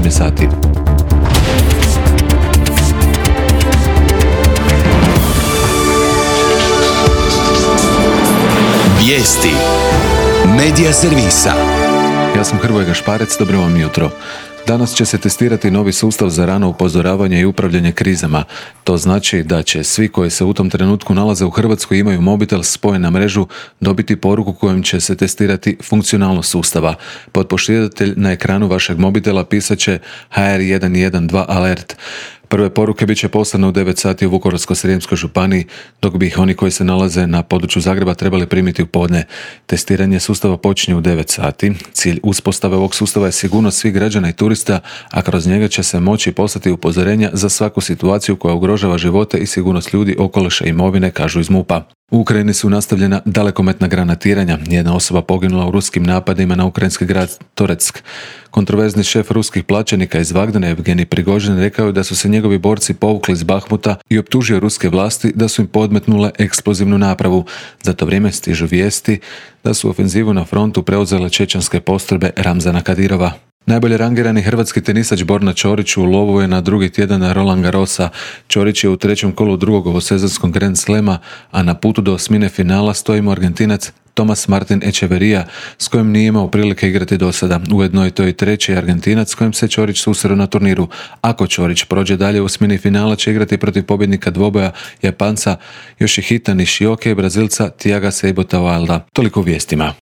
je sati. Vijesti Medija servisa. Ja sam Hrvoje Gašparec, dobro vam jutro. Danas će se testirati novi sustav za rano upozoravanje i upravljanje krizama. To znači da će svi koji se u tom trenutku nalaze u Hrvatskoj i imaju mobitel spojen na mrežu dobiti poruku kojom će se testirati funkcionalnost sustava. Potpošiljatelj na ekranu vašeg mobitela pisat će HR112 alert. Prve poruke bit će poslane u 9 sati u Vukovarsko-srijemskoj županiji, dok bi ih oni koji se nalaze na području Zagreba trebali primiti u podne. Testiranje sustava počinje u 9 sati. Cilj uspostave ovog sustava je sigurnost svih građana i turista, a kroz njega će se moći poslati upozorenja za svaku situaciju koja ugrožava živote i sigurnost ljudi, okoliša i imovine, kažu iz MUP-a. U Ukrajini su nastavljena dalekometna granatiranja. Jedna osoba poginula u ruskim napadima na ukrajinski grad Toretsk. Kontroverzni šef ruskih plaćenika iz Vagdana, Evgenij Prigožin, rekao je da su se njegovi borci povukli iz Bahmuta i optužio ruske vlasti da su im podmetnule eksplozivnu napravu. Za to vrijeme stižu vijesti da su ofenzivu na frontu preuzele čečenske postrojbe Ramzana Kadirova. Najbolje rangirani hrvatski tenisač Borna Ćorić u lovu je na drugi tjedan Roland Garrosa. Ćorić je u trećem kolu drugog ovosezonskog Grand Slema, a na putu do osmine finala stoji mu Argentinac Tomas Martin Echeverría, s kojim nije imao prilike igrati do sada. Ujedno je to i treći Argentinac s kojim se Ćorić susreo na turniru. Ako Ćorić prođe dalje u osmini finala, će igrati protiv pobjednika dvoboja Japanca Yoshihita Nishioke i Brazilca Thiaga Seibotta Wilda. Toliko u vijestima.